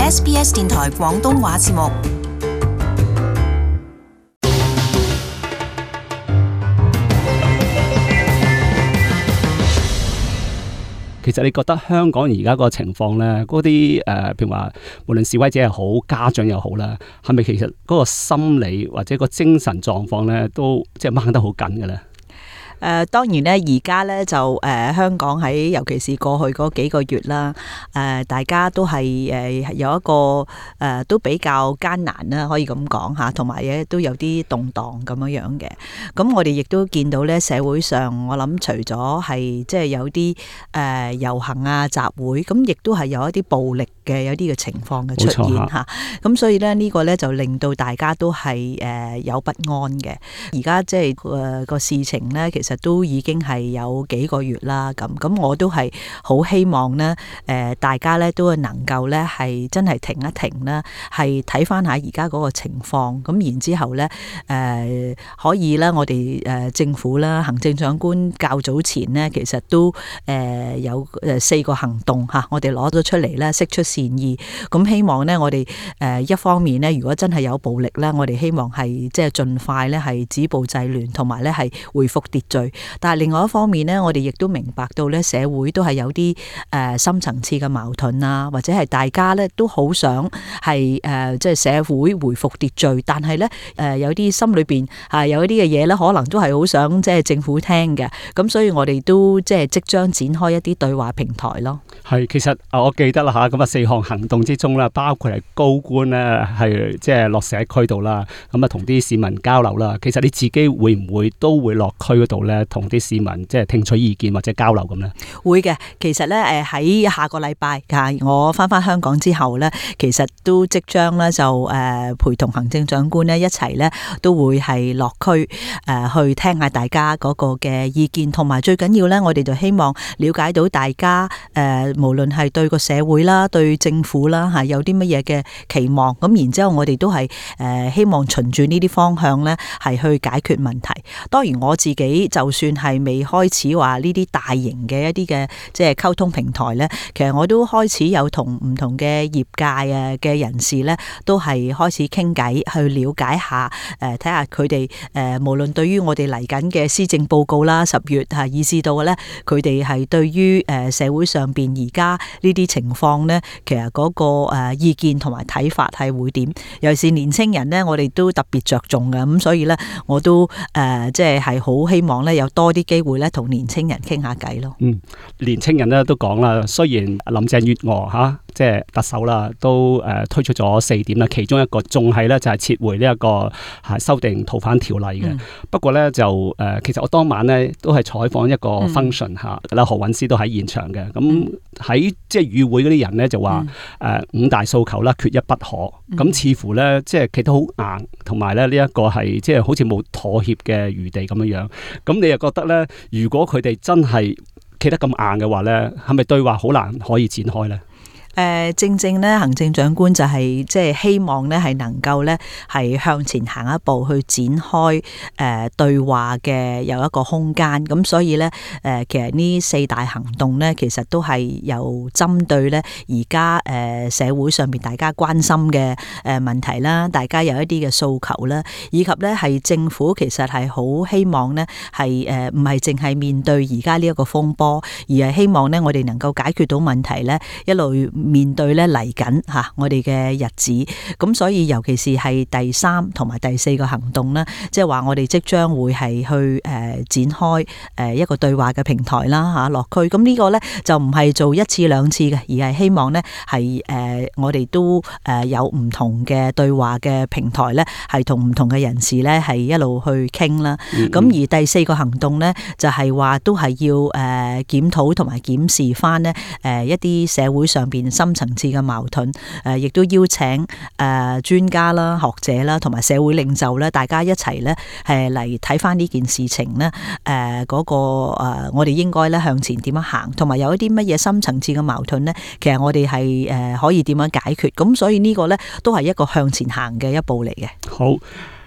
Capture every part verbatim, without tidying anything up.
S B S 電台廣東話節目。其實你覺得香港而家個情況咧，嗰啲誒，譬如話無論示威者又好，家長又好啦，係咪其實嗰個心理或者個精神狀況咧，都即係掹得好緊嘅咧？誒、呃、當然咧，而家咧就誒、呃、香港喺尤其是過去嗰幾個月啦，誒、呃、大家都係誒、呃、有一個誒、呃、都比較艱難啦，可以咁講嚇，同埋咧都有啲動盪咁樣樣嘅。咁我哋亦都見到咧，社會上我諗除咗係即係有啲誒、呃、遊行啊、集會，咁亦都係有一啲暴力嘅有啲嘅情況嘅出現嚇。咁所以咧呢、這個咧就令到大家都係誒、呃、有不安嘅。而家即係誒個事情咧，其實其實都已經係有幾個月啦，咁咁我都係好希望咧，誒大家咧都能夠咧係真係停一停啦，係睇翻下而家嗰個情況，咁然之後咧誒可以咧，我哋誒政府啦，行政長官較早前咧，其實都誒有誒四個行動嚇，我哋攞咗出嚟咧，釋出善意，咁希望咧我哋誒一方面咧，如果真係有暴力咧，我哋希望係即係盡快咧係止暴制亂，同埋咧係恢復秩序。但係另外一方面咧，我哋亦都明白到咧，社會都係有啲誒深層次嘅矛盾啊，或者係大家咧都好想係誒即係社會回復秩序，但係咧誒有啲心裏邊係有一啲嘅嘢咧，可能都係好想即係政府聽嘅。咁所以我哋都即係即將展開一啲對話平台咯。係，其實我記得啦嚇，咁啊四項行動之中啦，包括係高官咧係即係落社區度啦，咁啊同啲市民交流啦。其實你自己會唔會都會落區嗰度咧，同啲市民即係聽取意見或者交流咁咧？會嘅，其實咧誒喺下個禮拜啊，我翻翻香港之後咧，其實都即將咧就誒陪同行政長官咧一齊咧都會係落區誒去聽下大家嗰個嘅意見，同埋最緊要咧，我哋就希望了解到大家誒無論係對個社會啦、對政府啦嚇有啲乜嘢嘅期望，咁然之後我哋都係誒希望循住呢啲方向咧係去解決問題。當然我自己就算係未開始話呢啲大型嘅一啲嘅即係溝通平台咧，其實我都開始有同唔同嘅業界啊嘅人士咧，都係開始傾偈去了解下誒睇下佢哋誒無論對於我哋嚟緊嘅施政報告啦，十月係以至到嘅咧，佢哋係對於誒社會上邊而家呢啲情況咧，其實嗰個誒意見同埋睇法係會點？尤其是年青人咧，我哋都特別着重嘅，咁所以咧我都誒即係係好希望咧有多啲機會咧同年青人傾下偈咯。嗯，年青人咧都講啦，雖然林鄭月娥嚇即係特首啦，都誒推出咗四點啦，其中一個仲係咧就係撤回呢一個係修訂逃犯條例嘅。嗯、不過咧就誒，其實我當晚咧都係採訪一個 function 嚇，啦、嗯、何韻詩都喺現場嘅。咁喺即係與會嗰啲人咧就話誒、嗯呃、五大訴求啦，缺一不可。咁、嗯、似乎咧即係企得好硬，同埋咧呢一個係即係好似冇妥協嘅餘地咁樣樣。咁你又覺得咧，如果佢哋真係企得咁硬嘅話咧，係咪對話好難可以展開咧？誒正正咧，行政長官就係即係希望咧，係能夠咧係向前行一步，去展開誒對話嘅有一個空間。咁所以咧誒，其實呢四大行動咧，其實都係有針對咧而家誒社會上邊大家關心嘅誒問題啦，大家有一啲嘅訴求啦，以及咧係政府其實係好希望咧係誒唔係淨係面對而家呢一個風波，而係希望咧我哋能夠解決到問題咧一路面對咧嚟緊嚇我哋嘅日子，咁所以尤其是係第三同埋第四個行動咧，即係話我哋即將會係去誒展開誒一個對話嘅平台啦嚇落區，咁呢個咧就唔係做一次兩次嘅，而係希望咧係誒我哋都誒有唔同嘅對話嘅平台咧，係同唔同嘅人士咧係一路去傾啦。咁、嗯嗯、而第四個行動咧就係話都係要誒檢討同埋檢視翻咧誒一啲社會上邊深層次嘅矛盾，誒亦都邀請誒專家啦、學者啦，同埋社會領袖咧，大家一齊咧係嚟睇翻呢件事情咧，誒嗰個誒我哋應該咧向前點樣行，同埋有一啲乜嘢深層次嘅矛盾咧，其實我哋係誒可以點樣解決，咁所以呢個咧都係一個向前行嘅一步嚟嘅。好。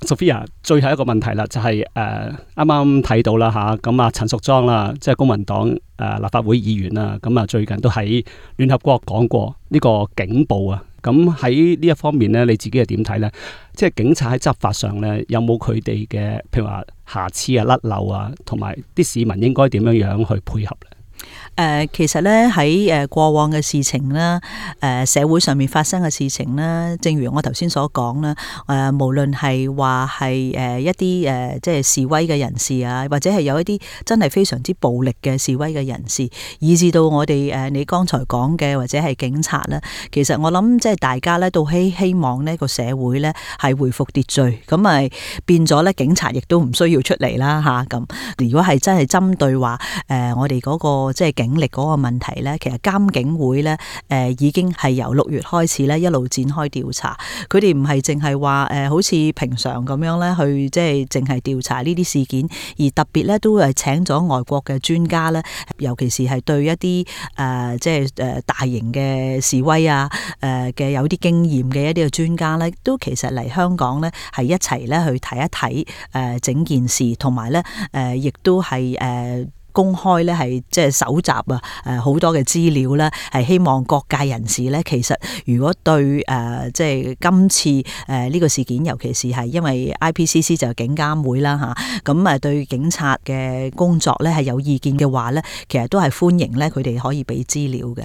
Sophia， 最後一個問題啦，就係誒啱啱睇到啦嚇，咁啊陳淑莊啦，即係公民黨誒、呃、立法會議員啦，咁啊最近都喺聯合國講過呢個警暴啊，咁喺呢一方面咧，你自己係點睇咧？即係警察喺執法上咧，有冇佢哋嘅譬如話瑕疵啊、甩漏啊，同埋啲市民應該點樣樣去配合咧？誒、呃，其實咧喺誒過往嘅事情啦，誒、呃、社會上面發生嘅事情啦，正如我頭先所講啦，誒、呃、無論係話係誒一啲誒、呃、即係示威嘅人士啊，或者係有一啲真係非常之暴力嘅示威嘅人士，以至到我哋誒、呃、你剛才講嘅或者係警察咧，其實我諗即係大家咧都希希望呢個社會咧係回復秩序，咁咪變咗咧警察亦都唔需要出嚟啦吓咁。如果係真係針對話誒、呃、我哋嗰、那個即係警力嗰個問題咧，其實監警會咧，誒、呃、已經係由六月開始咧一路展開調查。佢哋唔係淨係話誒，好似平常咁樣咧去即係淨係調查呢啲事件，而特別咧都係請咗外國嘅專家咧，尤其是係對一啲誒、呃、即係誒大型嘅示威啊誒嘅有啲經驗嘅一啲嘅專家咧，都其實嚟香港咧係一齊咧去睇一睇誒整件事，同埋咧誒亦都係誒。呃公開咧係即係搜集啊誒好多嘅資料咧，係希望各界人士咧，其實如果對誒即係今次誒呢個事件，尤其是係因為 I P C C 就係警監會啦嚇，咁啊對警察嘅工作咧係有意見嘅話咧，其實都係歡迎咧佢哋可以俾資料嘅。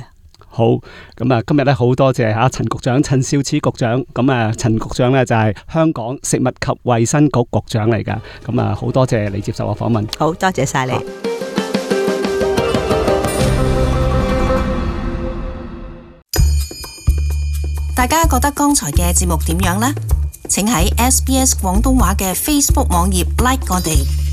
好，咁啊，今日咧好多謝嚇陳局長陳肇始局長，咁啊陳局長咧就係香港食物及衛生局局長嚟㗎，咁啊好多謝你接受我訪問。好多謝晒你。大家覺得剛才嘅節目點樣呢？請喺 S B S 廣東話嘅 Facebook 網頁 like 我哋。